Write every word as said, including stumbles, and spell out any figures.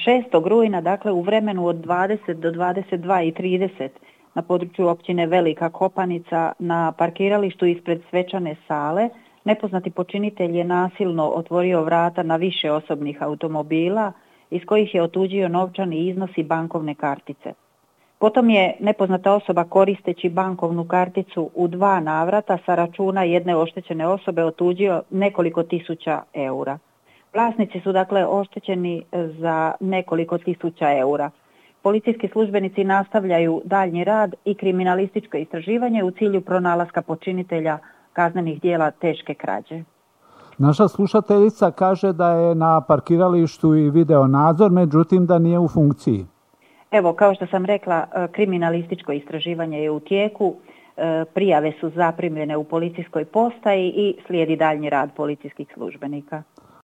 šestog rujna, dakle u vremenu od dvadeset do dvadeset dva i trideset na području općine Velika Kopanica na parkiralištu ispred svečane sale, nepoznati počinitelj je nasilno otvorio vrata na više osobnih automobila iz kojih je otuđio novčani iznos i bankovne kartice. Potom je nepoznata osoba koristeći bankovnu karticu u dva navrata sa računa jedne oštećene osobe otuđio nekoliko tisuća eura. Vlasnici su dakle oštećeni za nekoliko tisuća eura. Policijski službenici nastavljaju daljnji rad i kriminalističko istraživanje u cilju pronalaska počinitelja kaznenih djela teške krađe. Naša slušateljica kaže da je na parkiralištu i video nadzor, međutim da nije u funkciji. Evo, kao što sam rekla, kriminalističko istraživanje je u tijeku, prijave su zaprimljene u policijskoj postaji i slijedi daljnji rad policijskih službenika.